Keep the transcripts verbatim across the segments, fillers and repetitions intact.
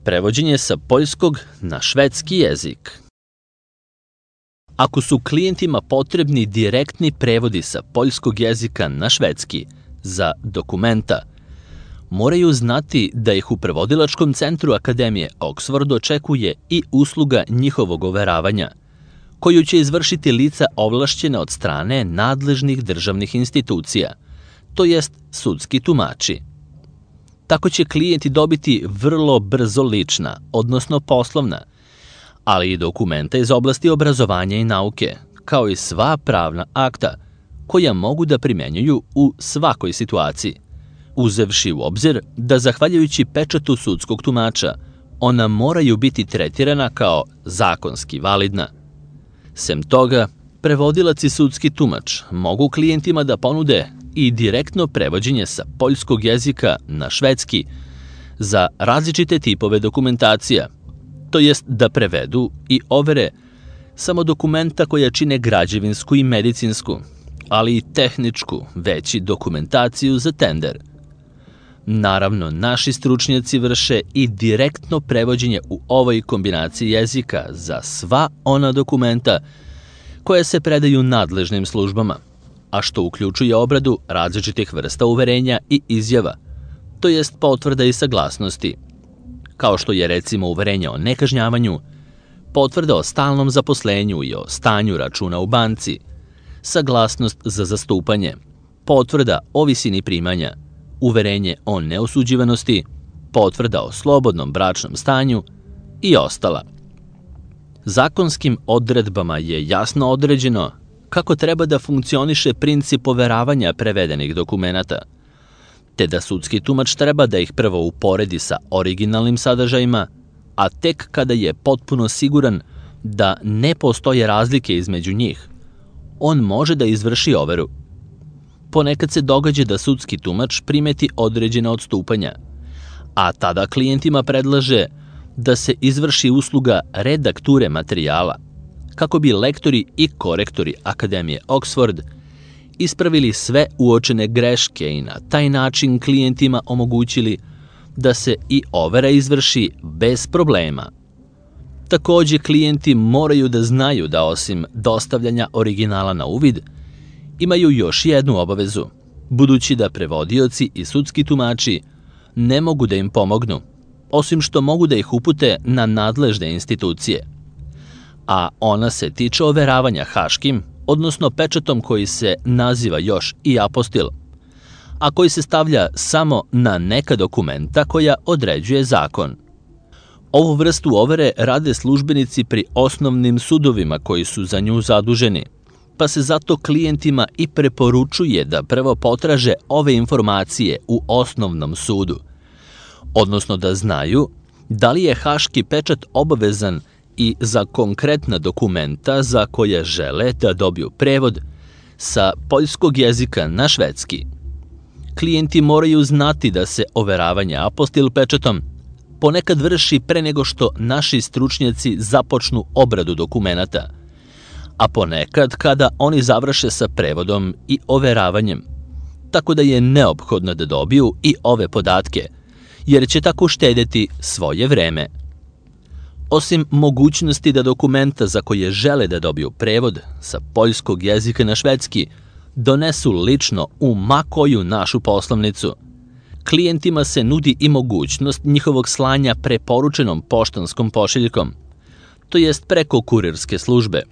prevođenje sa poljskog na švedski jezik. Ako su klijentima potrebni direktni prevodi sa poljskog jezika na švedski za dokumenta, moraju znati da ih u prevodilačkom centru Akademije Oxford očekuje i usluga njihovog overavanja, koju će izvršiti lica ovlašćena od strane nadležnih državnih institucija, to jest sudski tumači. Tako će klijenti dobiti vrlo brzo lična, odnosno poslovna, ali i dokumenta iz oblasti obrazovanja i nauke, kao i sva pravna akta, koja mogu da primenjuju u svakoj situaciji, uzevši u obzir da, zahvaljujući pečatu sudskog tumača, ona moraju biti tretirana kao zakonski validna. Sem toga, prevodilac i sudski tumač mogu klijentima da ponude i direktno prevođenje sa poljskog jezika na švedski za različite tipove dokumentacija, to jest da prevedu i overe samo dokumenta koja čine građevinsku i medicinsku, ali i tehničku, već i dokumentaciju za tender. Naravno, naši stručnjaci vrše i direktno prevođenje u ovoj kombinaciji jezika za sva ona dokumenta koja se predaju nadležnim službama, a što uključuje obradu različitih vrsta uverenja i izjava, to jest potvrda i saglasnosti, kao što je recimo uverenje o nekažnjavanju, potvrda o stalnom zaposlenju i o stanju računa u banci, saglasnost za zastupanje, potvrda o visini primanja, uverenje o neosuđivanosti, potvrda o slobodnom bračnom stanju i ostala. Zakonskim odredbama je jasno određeno kako treba da funkcioniše princip overavanja prevedenih dokumenata, te da sudski tumač treba da ih prvo uporedi sa originalnim sadržajima, a tek kada je potpuno siguran da ne postoje razlike između njih, on može da izvrši overu. Ponekad se događa da sudski tumač primeti određena odstupanja, a tada klijentima predlaže da se izvrši usluga redakture materijala, kako bi lektori i korektori Akademije Oxford ispravili sve uočene greške i na taj način klijentima omogućili da se i overa izvrši bez problema. Takođe, klijenti moraju da znaju da osim dostavljanja originala na uvid, imaju još jednu obavezu, budući da prevodioci i sudski tumači ne mogu da im pomognu, osim što mogu da ih upute na nadležne institucije. A ona se tiče overavanja haškim, odnosno pečatom koji se naziva još i apostil, a koji se stavlja samo na neka dokumenta koja određuje zakon. Ovu vrstu overe rade službenici pri osnovnim sudovima koji su za nju zaduženi, pa se zato klijentima i preporučuje da prvo potraže ove informacije u osnovnom sudu, odnosno da znaju da li je haški pečat obavezan i za konkretna dokumenta za koje žele da dobiju prevod sa poljskog jezika na švedski. Klijenti moraju znati da se overavanje apostil pečatom ponekad vrši pre nego što naši stručnjaci započnu obradu dokumenata, a ponekad kada oni završe sa prevodom i overavanjem, tako da je neophodno da dobiju i ove podatke, jer će tako uštedeti svoje vreme. Osim mogućnosti da dokumenta za koje žele da dobiju prevod sa poljskog jezika na švedski donesu lično u ma koju našu poslovnicu, klijentima se nudi i mogućnost njihovog slanja preporučenom poštanskom pošiljkom, to jest preko kurirske službe,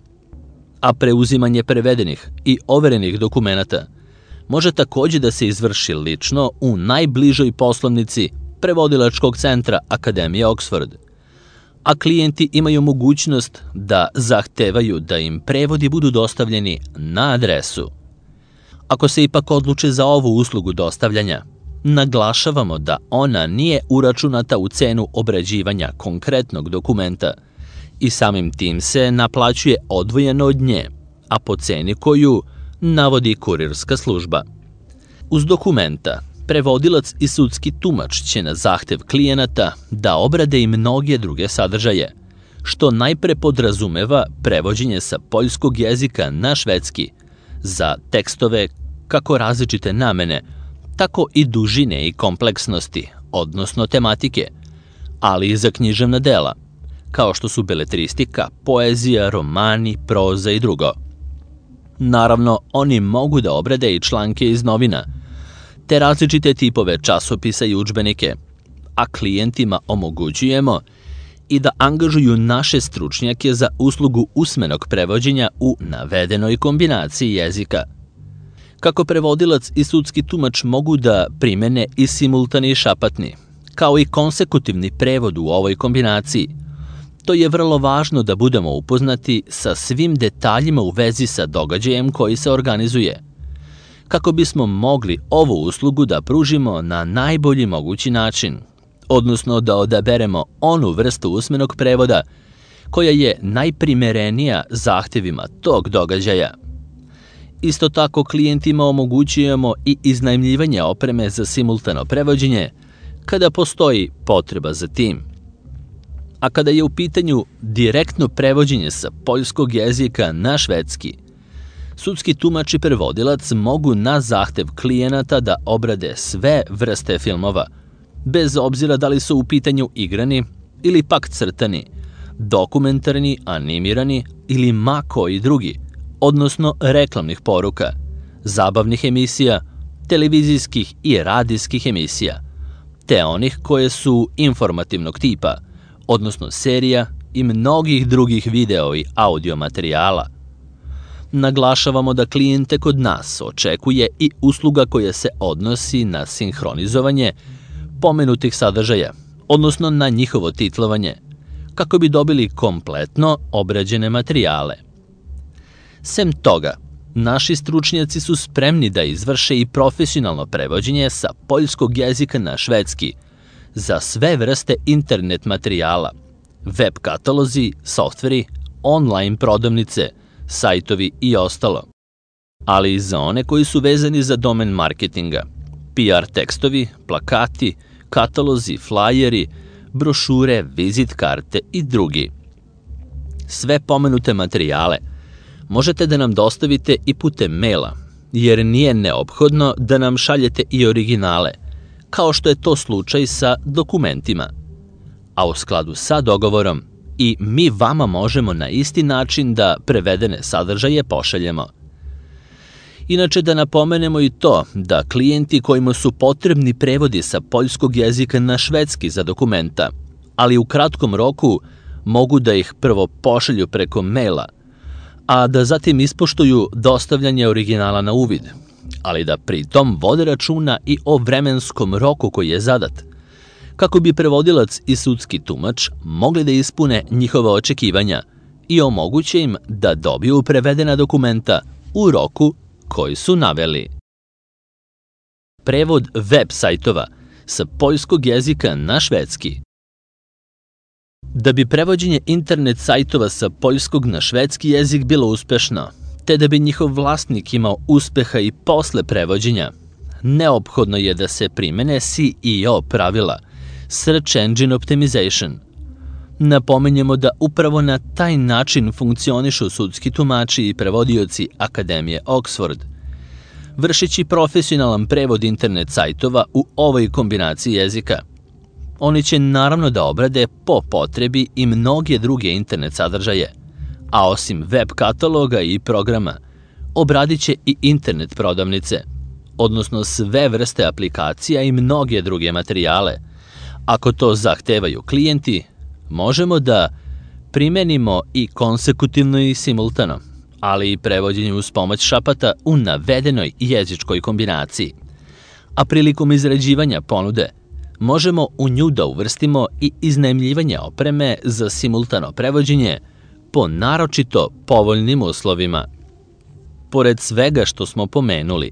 a preuzimanje prevedenih i overenih dokumenata može takođe da se izvrši lično u najbližoj poslovnici prevodilačkog centra Akademije Oxford, a klijenti imaju mogućnost da zahtevaju da im prevodi budu dostavljeni na adresu. Ako se ipak odluče za ovu uslugu dostavljanja, naglašavamo da ona nije uračunata u cenu obrađivanja konkretnog dokumenta i samim tim se naplaćuje odvojeno od nje, a po ceni koju navodi kurirska služba. Uz dokumenta, prevodilac i sudski tumač će na zahtev klijenata da obrade i mnoge druge sadržaje, što najpre podrazumeva prevođenje sa poljskog jezika na švedski za tekstove kako različite namene, tako i dužine i kompleksnosti, odnosno tematike, ali i za književna dela, kao što su beletristika, poezija, romani, proza i drugo. Naravno, oni mogu da obrade i članke iz novina, te različite tipove časopisa i udžbenike, a klijentima omogućujemo i da angažuju naše stručnjake za uslugu usmenog prevođenja u navedenoj kombinaciji jezika. Kako prevodilac i sudski tumač mogu da primene i simultani i šapatni, kao i konsekutivni prevod u ovoj kombinaciji, to je vrlo važno da budemo upoznati sa svim detaljima u vezi sa događajem koji se organizuje, kako bismo mogli ovu uslugu da pružimo na najbolji mogući način, odnosno da odaberemo onu vrstu usmenog prevoda koja je najprimerenija zahtevima tog događaja. Isto tako klijentima omogućujemo i iznajmljivanje opreme za simultano prevođenje kada postoji potreba za tim. A kada je u pitanju direktno prevođenje sa poljskog jezika na švedski, sudski tumač i prevodilac mogu na zahtev klijenata da obrade sve vrste filmova, bez obzira da li su u pitanju igrani ili pak crtani, dokumentarni, animirani ili ma koji drugi, odnosno reklamnih poruka, zabavnih emisija, televizijskih i radijskih emisija, te onih koje su informativnog tipa, odnosno serija i mnogih drugih video i audio materijala. Naglašavamo da klijente kod nas očekuje i usluga koja se odnosi na sinhronizovanje pomenutih sadržaja, odnosno na njihovo titlovanje, kako bi dobili kompletno obrađene materijale. Sem toga, naši stručnjaci su spremni da izvrše i profesionalno prevođenje sa poljskog jezika na švedski za sve vrste internet materijala, web katalozi, softveri, online prodavnice, sajtovi i ostalo, ali i za one koji su vezani za domen marketinga, P R tekstovi, plakati, katalozi, flajeri, brošure, vizit karte i drugi. Sve pomenute materijale možete da nam dostavite i putem maila, jer nije neophodno da nam šaljete i originale, kao što je to slučaj sa dokumentima. A u skladu sa dogovorom, i mi vama možemo na isti način da prevedene sadržaje pošaljemo. Inače, da napomenemo i to da klijenti kojima su potrebni prevodi sa poljskog jezika na švedski za dokumenta, ali u kratkom roku mogu da ih prvo pošalju preko maila, a da zatim ispoštuju dostavljanje originala na uvid, ali da pritom vode računa i o vremenskom roku koji je zadat, kako bi prevodilac i sudski tumač mogli da ispune njihova očekivanja i omoguće im da dobiju prevedena dokumenta u roku koji su naveli. Prevod web sajtova sa poljskog jezika na švedski. Da bi prevođenje internet sajtova sa poljskog na švedski jezik bilo uspešno, te da bi njihov vlasnik imao uspeha i posle prevođenja, neophodno je da se primene S E O pravila, Search Engine Optimization. Napominjemo da upravo na taj način funkcionišu sudski tumači i prevodioci Akademije Oxford, vršeći profesionalan prevod internet sajtova u ovoj kombinaciji jezika. Oni će naravno da obrade po potrebi i mnoge druge internet sadržaje, a osim web kataloga i programa, obradit će i internet prodavnice, odnosno sve vrste aplikacija i mnoge druge materijale. Ako to zahtevaju klijenti, možemo da primenimo i konsekutivno i simultano, ali i prevođenje uz pomoć šapata u navedenoj jezičkoj kombinaciji. A prilikom izrađivanja ponude, možemo u nju da uvrstimo i iznajmljivanje opreme za simultano prevođenje po naročito povoljnim uslovima. Pored svega što smo pomenuli,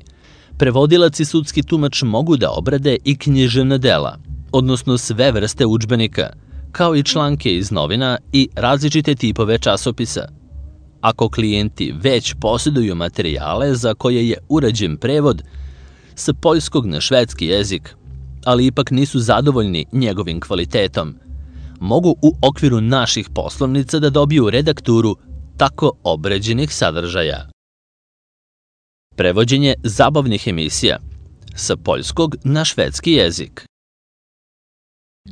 prevodilac i sudski tumač mogu da obrade i književna dela, odnosno sve vrste udžbenika, kao i članke iz novina i različite tipove časopisa. Ako klijenti već posjeduju materijale za koje je urađen prevod sa poljskog na švedski jezik, ali ipak nisu zadovoljni njegovim kvalitetom, mogu u okviru naših poslovnica da dobiju redakturu tako obrađenih sadržaja. Prevođenje zabavnih emisija sa poljskog na švedski jezik.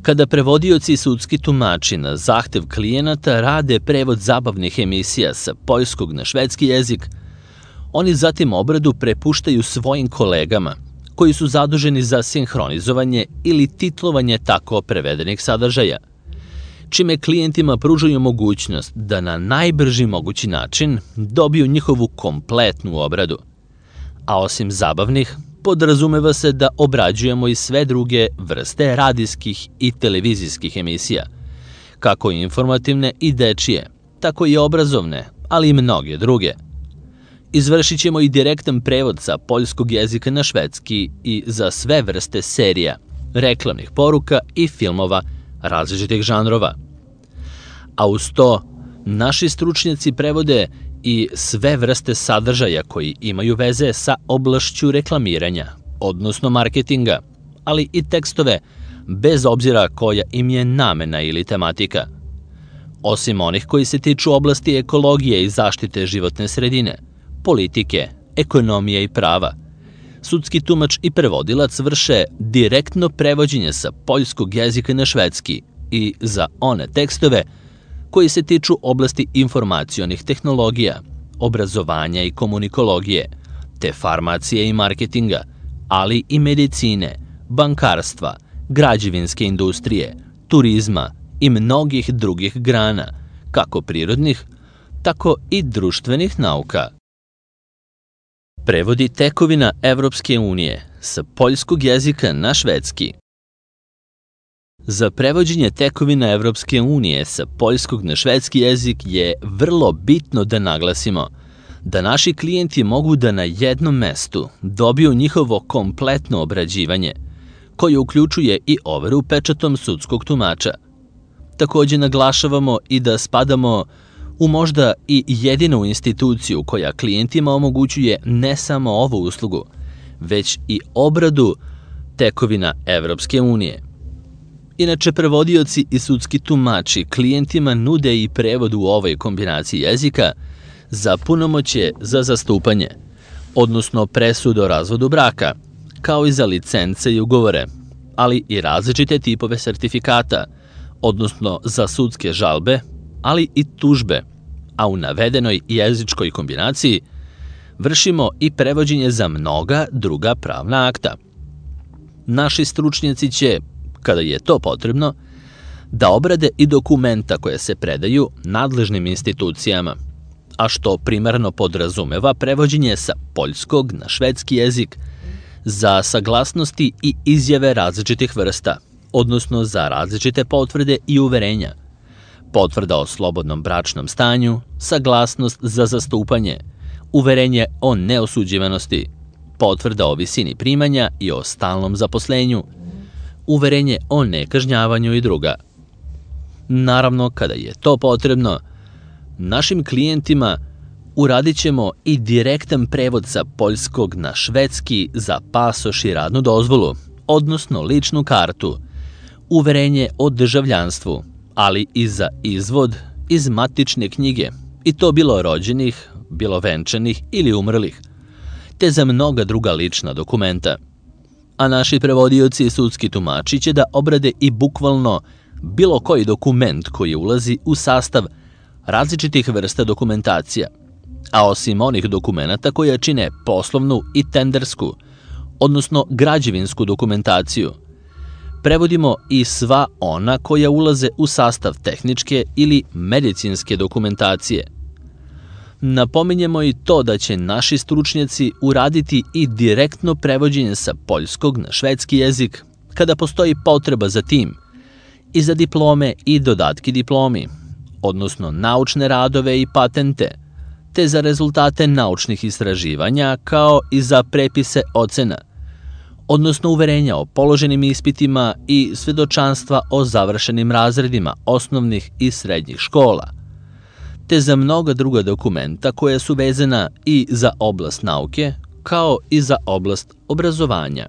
Kada prevodioci i sudski tumači na zahtev klijenata rade prevod zabavnih emisija sa poljskog na švedski jezik, oni zatim obradu prepuštaju svojim kolegama, koji su zaduženi za sinhronizovanje ili titlovanje tako prevedenih sadržaja, čime klijentima pružaju mogućnost da na najbrži mogući način dobiju njihovu kompletnu obradu. A osim zabavnih, podrazumeva se da obrađujemo i sve druge vrste radijskih i televizijskih emisija, kako informativne i dečije, tako i obrazovne, ali i mnoge druge. Izvršit ćemo i direktan prevod sa poljskog jezika na švedski i za sve vrste serija, reklamnih poruka i filmova različitih žanrova. A uz to, naši stručnjaci prevode i sve vrste sadržaja koji imaju veze sa oblašću reklamiranja, odnosno marketinga, ali i tekstove, bez obzira koja im je namena ili tematika. Osim onih koji se tiču oblasti ekologije i zaštite životne sredine, politike, ekonomije i prava, sudski tumač i prevodilac vrše direktno prevođenje sa poljskog jezika na švedski i za one tekstove koji se tiču oblasti informacionih tehnologija, obrazovanja i komunikologije, te farmacije i marketinga, ali i medicine, bankarstva, građevinske industrije, turizma i mnogih drugih grana, kako prirodnih, tako i društvenih nauka. Prevodi tekovina Evropske unije sa poljskog jezika na švedski. Za prevođenje tekovina Evropske unije sa poljskog na švedski jezik je vrlo bitno da naglasimo da naši klijenti mogu da na jednom mestu dobiju njihovo kompletno obrađivanje, koje uključuje i overu pečatom sudskog tumača. Takođe naglašavamo i da spadamo u možda i jedinu instituciju koja klijentima omogućuje ne samo ovu uslugu, već i obradu tekovina Evropske unije. Inače, prevodioci i sudski tumači klijentima nude i prevod u ovoj kombinaciji jezika za punomoćje za zastupanje, odnosno presud o razvodu braka, kao i za licence i ugovore, ali i različite tipove sertifikata, odnosno za sudske žalbe, ali i tužbe, a u navedenoj jezičkoj kombinaciji vršimo i prevođenje za mnoga druga pravna akta. Naši stručnjaci će, kada je to potrebno, da obrade i dokumenta koje se predaju nadležnim institucijama, a što primarno podrazumeva prevođenje sa poljskog na švedski jezik za saglasnosti i izjave različitih vrsta, odnosno za različite potvrde i uverenja, potvrda o slobodnom bračnom stanju, saglasnost za zastupanje, uverenje o neosuđivanosti, potvrda o visini primanja i o stalnom zaposlenju, uverenje o nekažnjavanju i druga. Naravno, kada je to potrebno, našim klijentima uradit ćemo i direktan prevod sa poljskog na švedski za pasoš i radnu dozvolu, odnosno ličnu kartu, uverenje o državljanstvu, ali i za izvod iz matične knjige, i to bilo rođenih, bilo venčanih ili umrlih, te za mnoga druga lična dokumenta. A naši prevodioci i sudski tumači će da obrade i bukvalno bilo koji dokument koji ulazi u sastav različitih vrsta dokumentacija, a osim onih dokumenta koja čine poslovnu i tendersku, odnosno građevinsku dokumentaciju, prevodimo i sva ona koja ulaze u sastav tehničke ili medicinske dokumentacije. Napominjemo i to da će naši stručnjaci uraditi i direktno prevođenje sa poljskog na švedski jezik kada postoji potreba za tim, i za diplome i dodatki diplomi, odnosno naučne radove i patente, te za rezultate naučnih istraživanja kao i za prepise ocena, odnosno uverenja o položenim ispitima i svedočanstva o završenim razredima osnovnih i srednjih škola, te za mnoga druga dokumenta koja su vezana i za oblast nauke, kao i za oblast obrazovanja.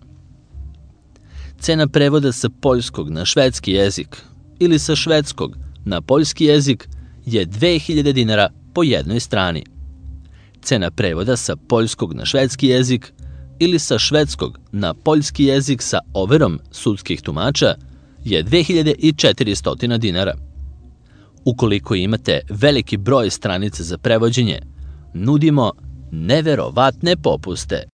Cena prevoda sa poljskog na švedski jezik ili sa švedskog na poljski jezik je dve hiljade dinara po jednoj strani. Cena prevoda sa poljskog na švedski jezik ili sa švedskog na poljski jezik sa overom sudskih tumača je dve hiljade četiristo dinara. Ukoliko imate veliki broj stranica za prevođenje, nudimo neverovatne popuste.